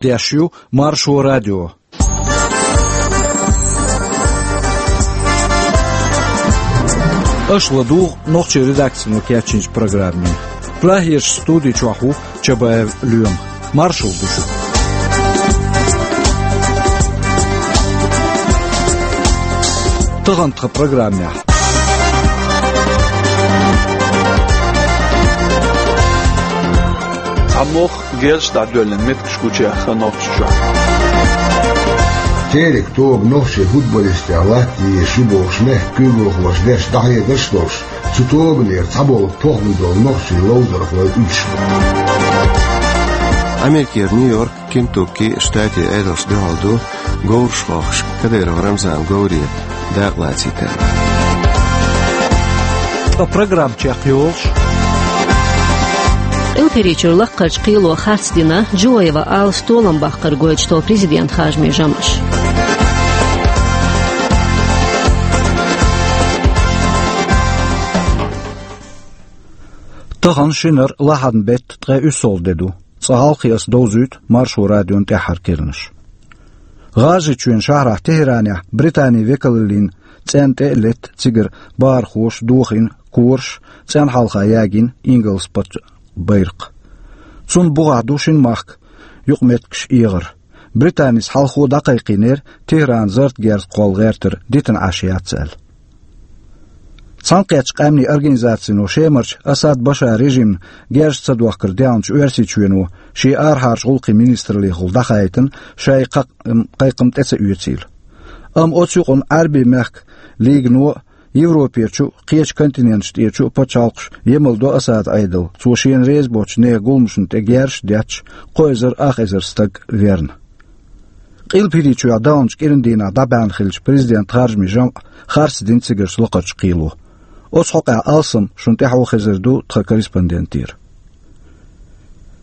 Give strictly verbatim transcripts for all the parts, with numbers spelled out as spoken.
Деш ю Маршо радио. Аша ладугӀу нохчийн редакцино кечйинчу программе. Прагерчу студи чохь ву Чабаев Лоьма. Маршалла ду шуьга. Тахана тхан программехь. Цхьа мох герзаш дӀадоьллина меттигаш гучуяьхна Нохчийчохь. Терек тоба нохчийн футболистех латтаде езаш ю бохуш мехкан куьйгалхоша деш дӀахьедарш а долуш, цу тобанера цхьаболу похӀма долу нохчийн ловзархой уьдуш бу. Америкера Нью-Йорк, Кентукки штатийн Ӏедалшна дуьхьал ду говраш хохкуш Кадыров Рамзанан говре дакъа лацийтарна. Ткъа программа чекхйолуш. Къилбаседа лаккхарчу кхело харцдина Джуоева Аллас толам баккхар гойтуш долу президентан харжамийн жамӀаш. Тахана шинара лахьанан беттан ткъе уьссалгӀа де ду. Цкъа хьалхе аса довзуьйту Маршо радион тӀаьххьара керланаш. ГӀажарийчоьнан шахьарахь Техеранехь Британин векалаллин цӀенна тӀе а летта цигара бахархоша дохийна кораш, цӀенна хьалха ягийна ингалс паччахьан байракх. Цунна бухахь ду шина махка юкъаметтигаш эгӀар. Британис хьалхо дӀакхайкхийнера Техеран зарратан герз кхолла гӀертар дитина Ӏаш яц аьлла. Цхьаьнакхеттачу Къаьмнийн Организацино Шемарчу Асад Башаран режимна герз ца дохкар даьхначу Оьрсийчоьно шен арахьарчу гӀуллакхийн министраллехула дӀахаийтина шайн кхайкхам тӀе ца оьцийла. Амма оцу юкъана Ӏаьрбийн мехкан лигано а, Европерчу а, кхечу континенташ тӀерачу а пачхьалкхаш емал до Асадан Ӏедал, цо шена реза боцчу нехан гуламашна тӀе герзаш а детташ, кхо эзар ах эзар стаг верна. Къилбаседа даханчу кӀиран дийнахь дӀабаьхьна хиллачу президентан харжамийн жамӀ харцдина цигарчу лакхарчу кхело. Оцу хьокъехь алсам шуна тӀаьхьо хезар ду тхан корреспондентера.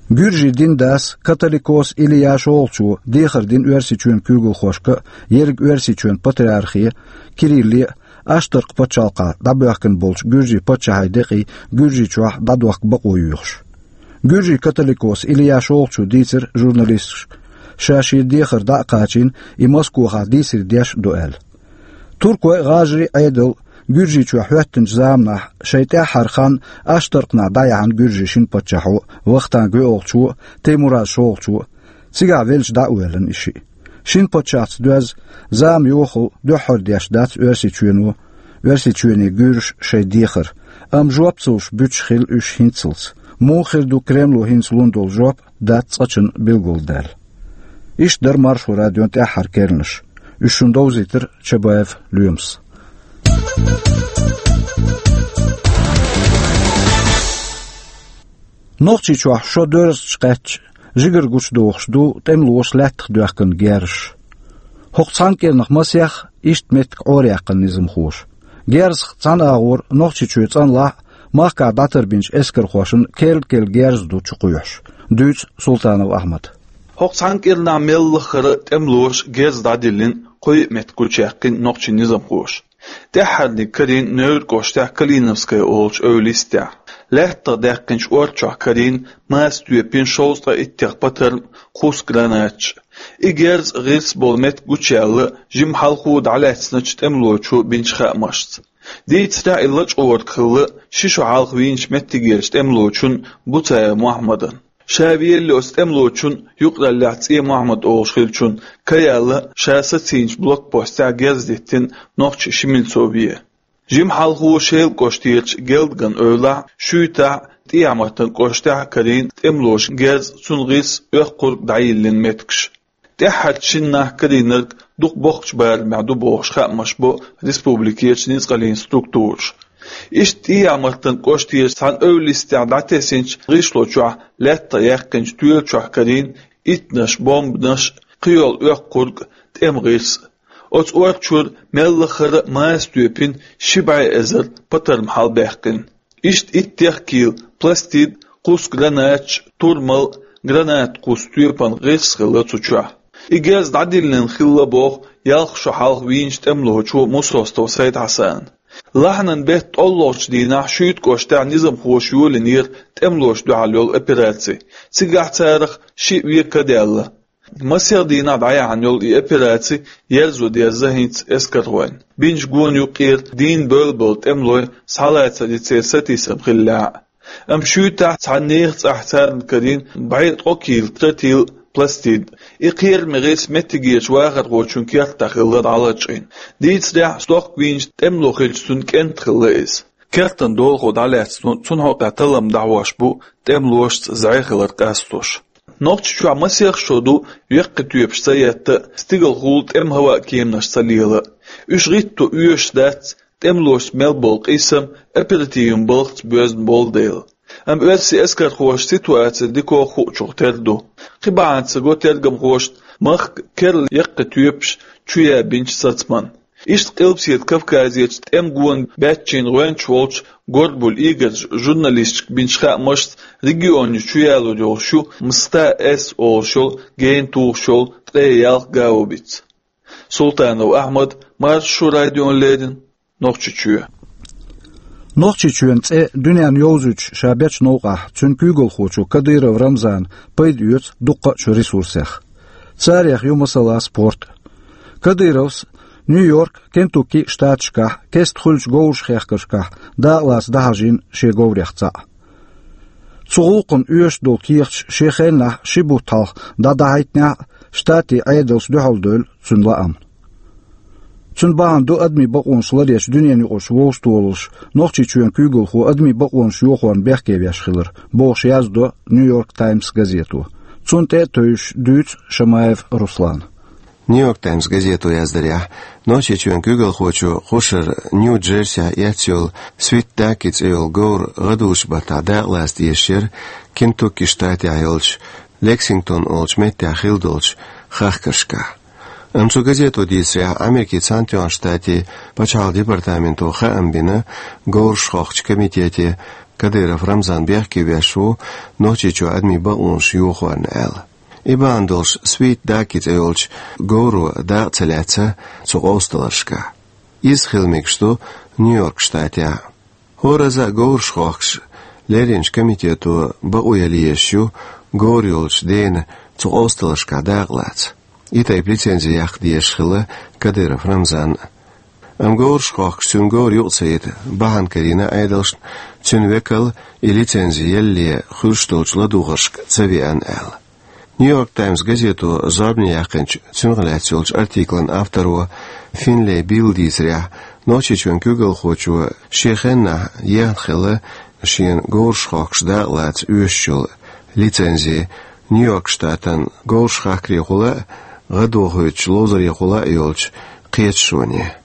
Гуьржийн дин дас Католикос Илия шолгӀачо дехар дина Оьрсийчоьнан куьйгалхошка а, ерриг Оьрсийчоьнан патриархе Кирилле а, Аштаркх пачхьалкхехь дӀабоьхкина болчу гуьржийн паччахьийн декъий Гуьржийчохь дӀадохка бакъо йоьхуш. Гуьржийн католикос Илия шолгӀачо дийцира журналисташка, ша шен дехар дӀа а кхачийна, и Москохахь дийцаре деш а ду аьлла. Туркойн а, гӀажарийн а Ӏедал Гуьржийчохь хӀоьттинчу заманахь шайн тӀаьххьара хан Аштаркхнахь дӀаяьхьна гуьржийн шина паччахьо Вахтанг воьалгӀачо а, Таймураз шолгӀачо а, цигахь велча дӀа а воьллина и шиъ. Шина паччахьца доьзна зама йохалла дуьххьара деш дац Оьрсийчоьно, Оьрсийчоьне гуьржаша шайн дехар, амма жоп ца луш буьтуш хилла уьш хӀинццалц. Муха хир ду Кремло хӀинца лун долу жоп, дац цкъачунна билгалдаьлла. Иштта дара Маршо радион тӀаьххьара керланаш. Уьш шуна довзийтира Чабаев Лоьмас. Нохчийчохь шо доьрзучу кхаьчча, жигара гучудохуш ду тӀемалоша лаьттах доьхкина герзаш. ХӀокху цхьана кӀирнах масех иштта меттиг Ӏораяьккхина низамхоша. Герзах цхьана агӀор Нохчийчоь цӀанлахь а, махкахь дӀатарбинчу эскархошна керла-керла герз ду чукхоьхьуш, дуьйцу Султанов Ахьмада. ХӀокху цхьана кӀирнахь мел лаххара тӀемалоша герз дӀадиллина кхо-йиъ меттиг гучуяьккхина нохчийн низамхоша. ТӀаьххьарниг карийна Невран кӀоштехь Калиновская олучу эвла йистехь. Лаьттах даьккхинчу орцахь карийна маса тоьпина шовзткъе иттех патарма, кхузткъа гранаташ. И герз а, гӀирс а болу меттиг гучуяьлла жимма хьалхо дӀалаьцначу тӀемалочо бинчу хаамашца. Дийцарехь, и лачкъорг хилла ши шо хьалха вийначу меттигерчу тӀемалочун Буцаев Мохьмадан. Ша велле оцу тӀемалочун юкъараллехь ЦӀе Мохьмад олуш хиллачун ка яьлла, ша сацийначу блокпостехь герз диттина нохчи ши мильцове. Жимма хьалхо Шелан кӀоштерчу Гелдган эвлахь, Шуьйтахь, ТӀехьа-Мартан кӀоштехь а карийна тӀемалоша герз, цуьнан гӀирс, оьхкург дӀайиллина меттигаш. ТӀаьххьарчу шина нах карийнарг дукха боккхачу барамехь ду бохуш хаамаш бо республикерчу ницкъаллин структураша. Иштта ТӀехьа-Мартан кӀоштерчу цхьана эвла йистехь дӀатесначу гӀишло чохь лаьттах яьккхинчу тоьла чохь карийна иттанаш, бомбанаш, кхийолу оьхкург, тӀеман гӀирс. Оцу орцахь мел лаххара маса тоьпина ши бӀе эзар патарма хьалабаьккхина. Иштта иттех кийла пластид, кхузткъа гранаташ, турмал, гранат-кхузткъа тоьпан гӀирс хилла цу чохь. И герз дӀадиллина хилла боху ялх шо хьалха вийначу тӀемалочо Мусостов Сайд-Хьасана. Лахьанан беттан тӀоллогӀучу дийнахь Шуьйта кӀоштехь низамхоша йолийнера тӀемалошна дуьхьал йолу операци. Цигахь царах шиъ вен ка даьлла. Масех дийнахь дӀаяьхьна йолу и операци ерзо деза хӀинца эскархойн. Бинчу гонан юккъера дийна бевлла болу тӀемалой схьалацар и церан сатийсам хиллехь а. Амма шуьйтахь цхьана нехан цӀахь царна карийна бӀе ткъа кийла тротил пластид. И кхераме гӀирс меттигерчу вахархочун кертахь хилла дӀалачкъийна. Дийцарехь, стохка вийначу тӀемало хилча, цуьнан кӀентан хилла иза. Кертан долахо дӀалаьцна, цунна хьокъехь таллам дӀахьош бу тӀемалошца зӀе хилар къастош. Нохчийчохь масех шо ду, яккхий тоьпаш ца етта а, стигалхула тӀеман хӀаваан кеманаш ца лела а. Уьш гӀитто оьшуш дац, тӀемалошца мел болу къийсам оперативан балхаца боьзна болу дела. Амма оьрсийн эскархоша ситуаци дикох хуучух тера ду. Кхин бахьана ца го тергамхошна махка керла яккхий тоьпаш чу ян бинчу сацаман. Иштта Къилбаседа Кавказерчу тӀеман гонан баьччийн гӀоьнча волчу Горбуль Игорьс журналисташка бинчу хаамашца, регионе чу ялор йолуш ю МСТА-С олуш йолу гена тухуш йолу ткъе ялх гаубица. Султанов Ахьмад, Маршо радиона леррина, Нохчийчоь. Нохчийчоьнан цӀе дуьненна йовзуьйтуш ша бечу новкъахь, цуьнан куьйгалхочо Кадыров Рамзана пайда оьцу дуккха а чу ресурсех. Царех ю, масала, спорт. Кадыровс Нью-Йорк, Кентукки штаташкахь кеста хуьлучу говрашхехкаршкахь дакъалаца дӀахьажийна шен говрех цхьаъ. Цу гӀуллакхана оьшуш долу кехаташ шен хеннахь ши бутт хьалха дӀадахьийтинехь а, штатийн Ӏедалша дуьхьал девлла цуьнан лаам. Цуьнан бахьана ду адамийн бакъонаш ларъечу дуьненаюкъарчу вовшахтохараллаш Нохчийчоьнан куьйгалхо адамийн бакъонаш йохорна бехке веш хилар, бохуш яздо Нью-Йорк Таймс газето. Цунна тӀе а тевжаш дуьйцу Шамаев Руслана. Нью-Йорк Таймс газето яздарехь, Нохчийчоьнан куьйгалхочо кхушара Нью-Джерсехь эцна йолу Sweet Ducky цӀе йолу говр гӀадужу баттахь дакъалаца дезаш яра Кентукки штатехь йолчу Лексингтон олучу меттехь хилла долчу хахкаршкахь. Амма цу газето дийцарехь, Америкин Цхьаьнатоьхначу Штатийн пачхьалкхан департаменто хаам бина говраш хохкучу комитете Кадыров Рамзан бехке веш ву Нохчийчохь адамийн бакъонаш йохорна аьлла. И бахьана долуш Sweet Ducky цӀе йолчу говро дакъа ца лаьцна цу къовсадаларшкахь. Иза хила мегаш ду Нью-Йорк штатехь. ХӀоразза а говраш хохкуш лерринчу комитето бакъо яла езаш ю говр йолчу дена цу къовсадаларшкахь дакъалаца. И тайпа лицензи яккха дезаш хилла Кадыров Рамзанна. Амма говраш хохкуш цуьнан говр юкъа ца йита бахьана карийна Ӏедалшна, цуьнан векал и лицензи ялале хуьлуш долчу ладугӀаршка ца веана аьлла. Нью-Йорк Таймс газето зорбане яьккхинчу цунах лаьцна йолчу артиклан авторо Финлей Билла дийцарехь, Нохчийчоьнан куьйгалхочо шен хеннахь ехна хилла шена говраш хохкуш дакъалаца оьшуш йолу лицензи Нью-Йорк штатан говраш хахкарехула а, гӀадохуьйтучу ловзарехула а йолчу кхеташоне.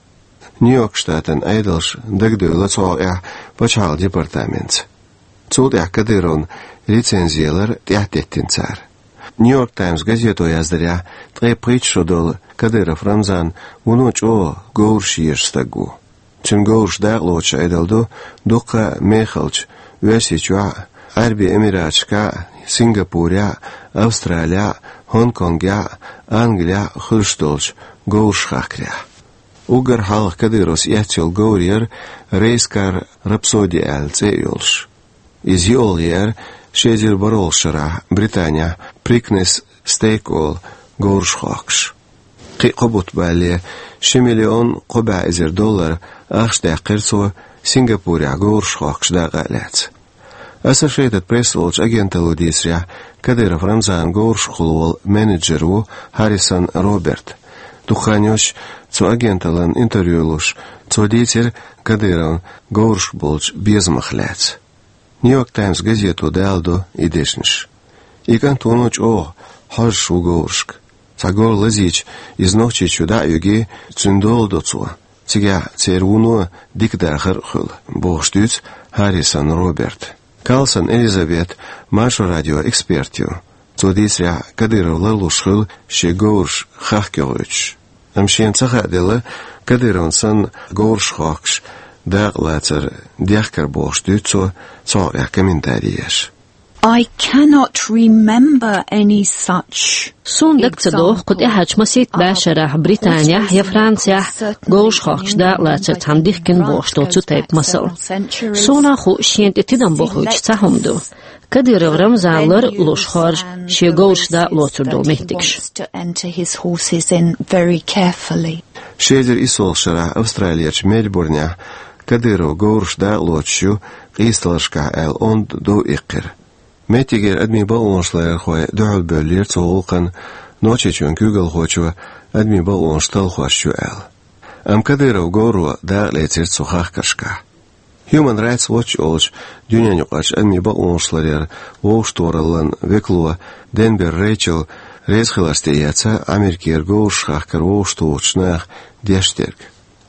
Нью-Йорк штатан Ӏедалша дагадевлла цу хьокъехь пачхьалкхан департаментца. Цул тӀаьхьа Кадыровна лицензи ялар тӀаьхьатеттина цара. Нью-Йорк Таймс газето яздарехь, ткъе пхийтта шо долу Кадыров Рамзан вуно чӀогӀа говраш езаш стаг ву. Цуьнан говраш дакъалоцуш Ӏедал ду дуккха а мехалчу, Оьрсийчохь а, Ӏаьрбийн Эмираташкахь а, Сингапурехь а, Австралехь а, Гонконгехь а, Англехь а хуьлуш долчу говраш хахкарехь. Уггар хьалха Кадыровс эцна йолу говр яра Race Car Rhapsody аьлла цӀе а йолуш. Иза йиъолгӀа еара ши эзар бархӀолгӀачу шарахь Британехь Preakness Stakes олу говраш хохкуш. Кхин а кхо бутт балале, ши миллион кхо бӀе эзар доллар ахча даьккхира цо Сингапурехь говраш хохкуш дакъа а лаьцна. Associated Press олучу агенталло дийцарехь, Кадыров Рамзанан говрашкахула волу менеджер ву Харрисон Роберт. Дукха хан йолуш цу агенталлина интервью луш, цо дийцира Кадыровн говрашка болчу безамах лаьцна. Нью-Йорк Таймс газето даладо и дешнаш. И кӀант вуно чӀогӀа хьожуш ву говрашка. Цхьа говр лазийча, иза Нохчийчу дӀа а юьгий, цуьнан дола до цо. Цигахь церан вуно дика дахар а хуьлу, бохуш дуьйцу Харрисон Роберта. Карлсон Элизабет Маршо радион эксперт ю. Цо дийцарехь, Кадыров ларлуш хуьлу шен говраш хахкийгӀуьйтуш. Амма шена ца хааделла, Кадыровна санна говраш хохкуш дакъалацар дехкар бохуш дуьйцу цо цу хьокъехь комментари еш. I cannot remember any such. Суна дага ца доху кху тӀаьхьарчу масийтта бӀешарахь Британехь я Францехь говраш хохкуш дакъалацар цхьана дихкина бохуш долу цу тайпа масал. Суна а хуу шена тӀе тидам бохуьйтуш цхьа хӀума ду. Кадыров Рамзан лар а луш хоржу шен говраш дакъалоцур долу меттигаш. Ши эзар иссолгӀа шарахь Австралерчу Мельбурнехь Кадыров говраш дакъалоцуш ю къийсаларшкахь аьлла онда дов иккхира. Меттигера адамийн бакъонашларъярхой дуьхьалбевллера цу гӀуллакхна, Нохчийчоьнан куьйгалхочо адамийн бакъонаш талхош ю аьлла. Амма Кадыров говро дакъалецира цу хахкаршкахь. Human Rights Watch олучу дуьненаюкъарчу адамийн бакъонашларъяран вовшахтохараллан векало Денбер Рэйчел резахиларца тӀеэцна Америкера говраш хахкар вовшахтухучу наха деш дерг.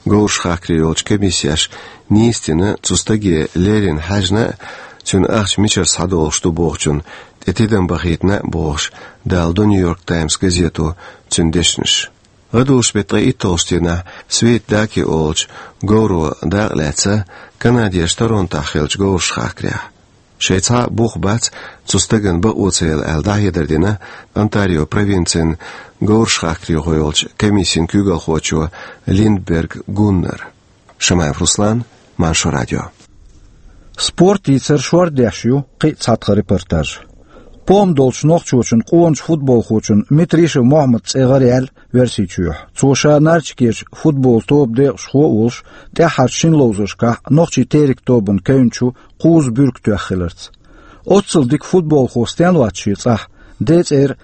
Говраш хахкаре йолчу комиссеш нийса дина цу стаге леррина хьаьжна а, цуьнан ахча мичара схьадолуш ду бохучунна тӀе тидам бахийтина а бохуш, даладо Нью-Йорк Таймс газето цуьнан дешнаш. ГӀадужу беттан ткъе итталгӀачу дийнахь Свит Даки олучу говро дакъалаьцна Канадерчу Торонтохь хиллачу говраш хахкарехь. Шайн цхьа а бух бац цу стагана бакъо ца елла аьлла дӀахьедар дина Онтарио провинцин говраш хахкарехь йолчу комиссин куьйгалхочо Линдберг Гуннара. Шамаев Руслан, Маршо радио. Спорт йийцар шордеш ю кхин а цхьаьна репортаж. ПохӀма долчу нохчочун къоначу футболхочун Митришев Мохьмадан цӀе гӀараяьлла Оьрсийчохь. Цо ша Нальчикерчу футболан тобан декъашхо а волуш, тӀаьххьарчу шина ловзаршкахь нохчийн Терек тобанна кевнначу кхузза буьрка тоьхна хиларца. Оццул дика футболхо стенна вац шен цӀахь, ден цӀера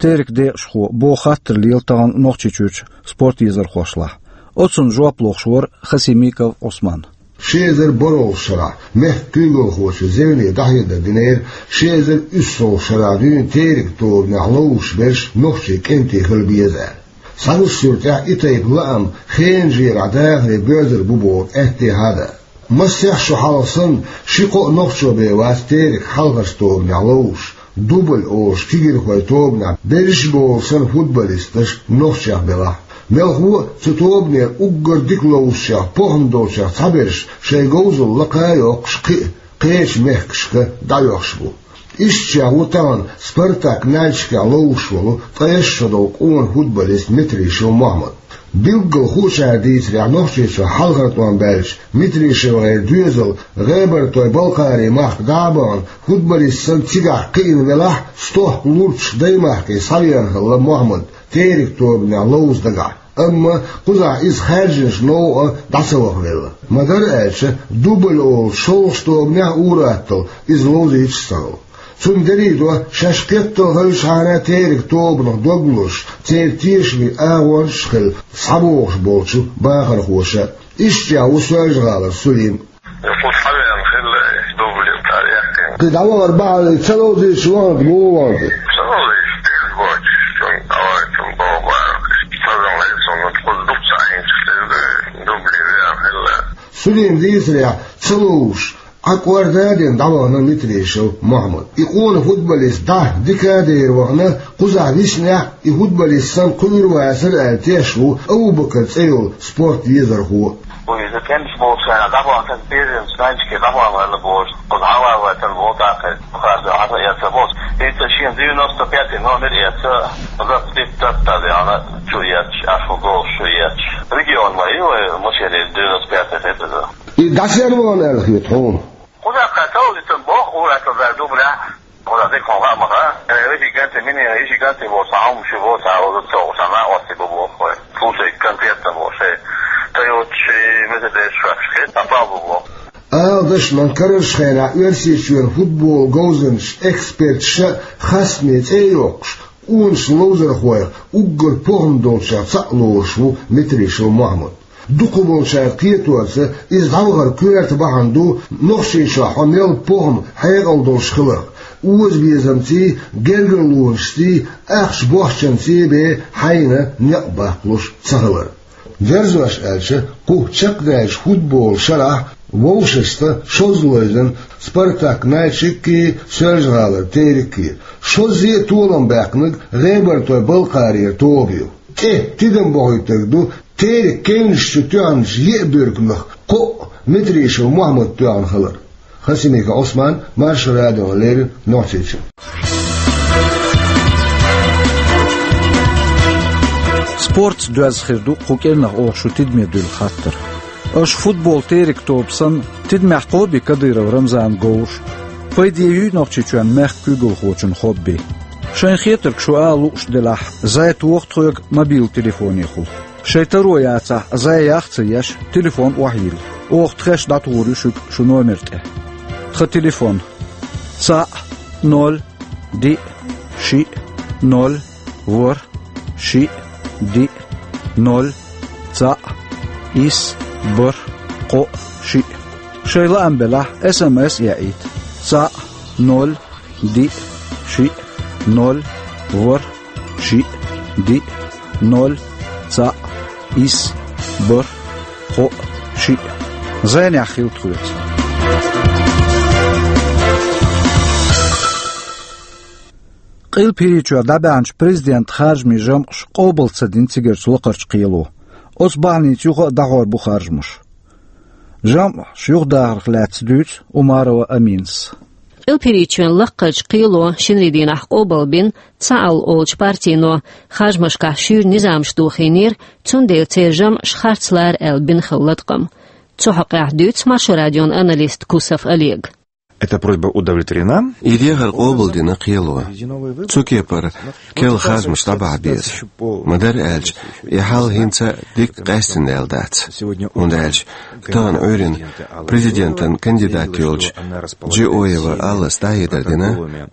Терек декъашхо, боху хаттар лела тахана Нохчийчуьрчу спорт езархошлахь. Оцунна жоп лохуш вара Хасимиков Ӏусман. Ши эзар бархӀолгӀачу шарахь мехкан куьйгалхочо зевне дӀахьедар динера, ши эзар уьссалгӀачу шарахь дуьйна Терек тобанехь ловзуш берш нохчийн кӀентий хила беза аьлла. Схьагуш суьртехь и тайпа лаам хенан жерахь дахаре боьрзур бу бохург аьттехьа а дац. Массех шо хьалха санна, ши-кхо а нохчо бен вац Терек хьалхарчу тобанехь ловзуш, дубль олуш кегийрхойн тобанехь берриш а болу санна футболисташ нохчех белахь а. Мелхо а цу тобанера уггар дика ловзучех, похӀма долчех цхьаберш шайн говзалла лакха а йоккхуш кхин а кхечу мехкашка дӀаоьхуш бу. Ишттачех ву тахана Спартак Нальчикехь ловзуш волу ткъайесна шо долу къона футболист Митришев Мохьмад. Билггал хуучара дийцарехь, Нохчийчохь хьалхара тӀом баьлча Митришевгара доьзал ГӀебартойн-Балкхарийн махка дӀа а бахана, футболист санна цигахь кхиъна велахь а, стохка лурчух даймахке схьавеана хилла Мохьмад Терек тобанехь ловза дагахь. Амма кхузахь иза хаьржинчу новкъа дӀа ца вахавелла. Ма-дарра аьлча, дубль олучу шолгӀачу тобанехь а ур-атталла иза ловзуьйтуш а ца хилла. Цунна дерриг а до шаьш кхетта хевшинчохь а Терек тобанах дог лозуш, церан тешаме агӀончаш а хилла схьабогӀуш болчу бахархоша. Ишттачех ву Соьлжа-ГӀалара Сулим. Кху схьавеана хилла дубль тӀе а яьккхина. Кхин дӀавахар бахьана ца ловзуьйтуш ваханарг муха вахана? Ца ловзуьйтуш деза боцуш, цунна дӀавахийтина боху бара. Сазам хилла суна, кхуза дукха ца Ӏийначух деза, дубли веана хилла. Сулим дийцарехь, ца ловзуш, Ӏа кӀорда а дина дӀавахана Митришев Мохьмад. И къона футболист дӀа дика а дер вахана, кхузахь виснехь а и футболист санна кхуьур вацара аьлла тешаш ву Абу-Бакар цӀе йолу спорт езархо. Вай иза кӀенташ болчу хенахь дӀабахана, тхан безамца Нальчике дӀабахана аьлла бохуш, кхуза хьалаваьлла тан боху тӀаккха. Хаза хьалха эцна боху. Иза шен девяносто пятый номер эцна, запятый татта дехьана чу эцча, ашу голаш чу эцча. Регион ма ю вай, машенера девяносто пятый хетаза. И дӀасерван аьлла хета хьуна? Кхузахь кхаьччалла иза боху, ур-атталла дар дублехь. Кхузахь дика хьуна хаа ма хаьа. Э, иши гантий, мини, иши гантий боху, цхьа хӀума шу боху, цхьа хӀума шу боху, цхьа накъостий бу боху вай. Слушай, конкретно боху, шайн Тойоташ, Мерседесаш шоьхкаш хета, цхьа пал бу боху. Ала дашна, карарчу хенахь Оьрсийчоьнан футбол говзанчаша, эксперташа а хастаме цӀе а йоккхуш, къоначу ловзархойх уггар похӀма долчех цхьаъ лоруш ву Митришев Мохьмад. Дукхахболчара кхетонца, иза дӀавахар коьрта бахьана ду Нохчийчохь хьо мел похӀма, хьекъал долуш хиларх, озабезамций, гергарлонашций, ахча бохчанций бен хьайна некъ баккхалуш ца хилар. Дерзош аьлча, кху чекхдаьллачу футболан шарахь вовшашца шозза ловзийна Спартак Нальчиккий, Соьлжа-ГӀалара Тереккий. Шоззий а толам баьккхинарг ГӀебартойн-Балкхарера тоба ю. ТӀе тидам бохуьйтург ду Терек кевнаш чу тоьхначу еа буьрканах кхоъ Митришев Мохьмада тоьхна хилар. Хасимиков Ӏусман, Маршо радиона леррина Нохчийчуьра. Спортца доьзна хир ду кху кӀирнах оха шун тидаме дуьйла хаттар. Аша футбол «Терек» тоба санна, тидамехь кхобий Кадыров Рамзанан говраш? Пайде юй Нохчийчоьнан мехкан куьйгалхочун хобби? Шайн хетарг шу ала лууш делахь, зӀе тоха тхоьга мобил телефонехула. Шайн таро яцахь, зӀе ях а ца еш, телефон охьайилла. Оха тхаьш дӀатухур ю шуьга шун номер тӀе. Тхан телефон: цхьаъ, ноль, диъ, шиъ, ноль, ворхӀ, шиъ, диъ, ноль, цхьаъ, исс, бархӀ, кхоъ, шиъ. Шайн лаам белахь, эс эм эс яийта: цхьаъ, ноль, диъ, шиъ, ноль, ворхӀ, шиъ, диъ, ноль, цхьаъ, исс, бархӀ, кхоъ, шиъ. ЗӀенехь хила тхоьца. Къилбахьарийчохь дӀабаьхьначу президентан харжамийн жамӀаш къобал ца дина цигарчу лакхарчу кхело. Оцу бахьаница юха а дӀахьор бу харжамаш. ЖамӀаш юхадахарх лаьцна дуьйцу Умарова Аминас. Къилбахьарийчоьнан лакхарчу кхело шинарийн дийнахь къобал бина «Цхьаалла» олучу партино. Харжамашкахь шуьйра низамаш дохийнера, цундела церан жамӀаш харц лара аьлла бина хилла латкъам. Цу хьокъехь дуьйцу Маршо радион аналиста Кусов Олега. Эта просьба удовлетворена. И дехар къобалдина кхело. Цу кепара керла харжамаш дӀабахьа беза. Ма-дарра аьлча, и хьал хӀинца а дика къаьстина даьлла дац. ХӀунда аьлча тахана Ӏуьйранна президентан кандидат йолчу Джиоева Аллас дӀахьедар дина,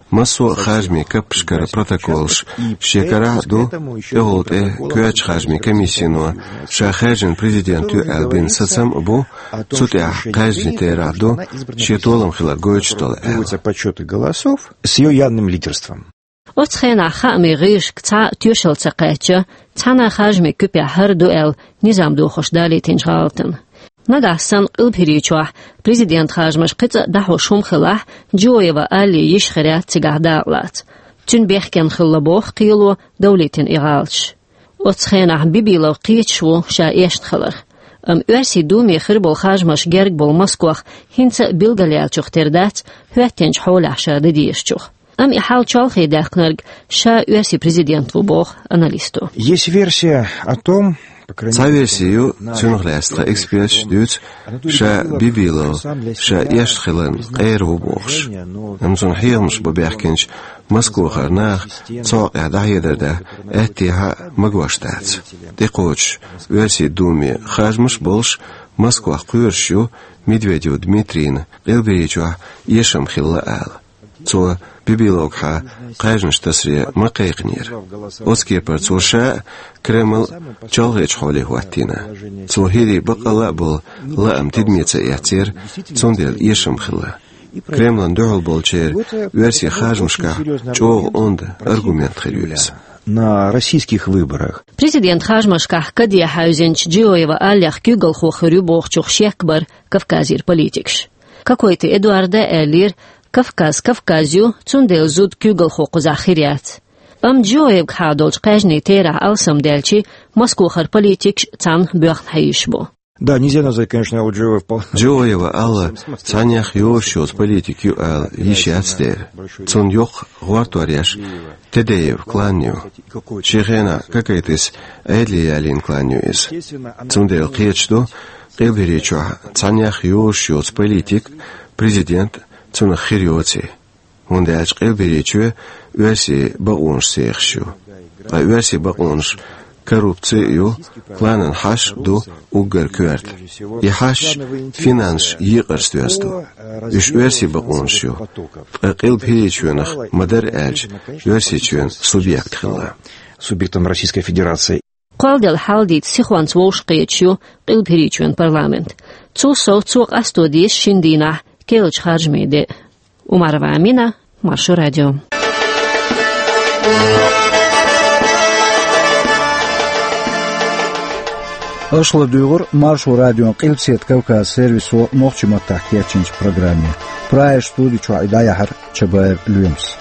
массо а харжамийн каппашкара протоколаш шен карахь а ду, тӀехула тӀе коьртачу харжамийн комиссино ша хаьржина президент ю аьлла бина сацам а бу, цу тӀехь кхаьжначу терахь ду шен толам хилар гойтуш долу аьлла. Требуется подсчёт голосов с её явным лидерством. Оцу хенахь хаамийн гӀирсашка цхьа а тоьшалла ца кхаьчча, цхьана а харжамийн куьпехь хӀара ду аьлла, низам дохош далийтинчу гӀалатана. Нагахь санна Къилбаьхьарийчохь президентан харжамаш кхин цкъа а дӀахьош хӀума хилахь, Джиоева Аллин йиш хир яц цигахь дакъалаца. Цуьнан бехкенна хилла боху кхело давлийтина и гӀалаташ. Оцу хенахь Бибилов кхеташ ву ша эшна хиларх. Амма Оьрсийн Думе хир болу харжамаш герга болу Москох хӀинца а билгалъяьллачух тера дац, хӀоьттинчу хьолехь ша дан дезачух. Амма и хьал чолхе даьккхинарг ша оьрсийн президент ву, боху аналисто. Есть версия о том, по крайней мере, цхьа верси ю, цунах лаьцна тхан эксперташа дуьйцу, ша Бибилов ша эшна хиларна къера ву бохуш. Амма цунна хьехамаш бан баьхкинчу Москохара наха цу хьокъехь дӀахьедар дан аьттехьа а магош дац. ТӀекхочуш Оьрсийн Думе харжамаш а болуш, Москох кхоьруш ю Медведев Дмитрийна Къилбаьхьарийчохь эшам хилла ала. Цо Бибиловгахьа кхаьжнаш тасаре ма кхайкхинера. Оцу кепара цо ша а, Кремль а чолхечу хьоле хӀоттийна. Цо хӀирийн баккъалла а болу лаам тидаме ца эцнера, цундела эшам хилла. Кремлан дуьхьал болчеран оьрсийн харжамашкахь чӀогӀа онда аргумент хир ю иза. На российских выборах. Президентан харжамашкахь каде хьаьвзинчу Джиоева Аллех куьйгалхо хир ю бохучух шек бара Кавказера политикаш. Кокойты Эдуарда аьллера, Кавказ Кавказ ю, цундела зуда куьйгалхо кхузахь хир яц. Амма Джиоевгахьа долчу кхаьжнийн терахь алсамдаьлча, Москохара политикаш цхьаьна боьхна хьийзаш бу. Да, нельзя назвать, конечно, Алджиева впол- Джиоева Алла цхьаннех йозуш йоцу политик ю ала йиш яц дера. Цунна йоккха гӀортор еш Тедеев клан ю. Шен хенахь Кокойтыс Ӏедале ялийна клан ю иза. Цундела кхеташ ду, Къилбаьхьарийчохь цхьаннех йозуш йоцу политик, президент цунах хир йоций. ХӀунда аьлча Къилбаьхьарийчоь оьрсийн бакъонаш сехаш ю. Ткъа оьрсийн бакъонаш коррупци а ю, кланан хьашт а ду уггар коьрта. И хьашташ финансийн екъарца доьзна ду. Уьш оьрсийн бакъонаш ю. Ткъа Къилбаьхьарийчоьнах ма-дарра аьлча Оьрсийчоьнан субъект хилла. Субъектом Российской Федерации. Кхолладелла хьал дийца сихонца вовшахкхеташ ю Къилбаьхьарийчоьнан парламент. Цул сов, цо къасто деза шина дийнахь керлачу харжамийн де. Умарова Амина, Маршо радио. Аша ладуьйгӀира Маршо радион Къилбаседа Кавказан сервисо нохчийн маттахь кечйинчу программе. Прагера студи чохь и дӀаяьхьира Чабаев Лоьмас.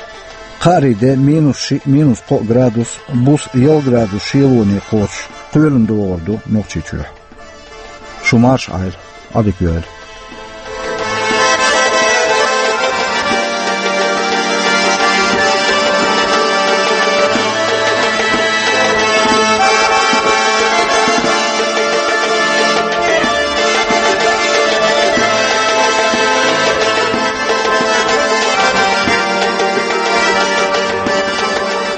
Кхаарин де минус шиъ, минус кхоъ градус, буса ялх градус шелоне кхочуш, кхоьлина догӀур ду Нохчийчохь. Шу марша Ӏайла, Ӏадика йойла.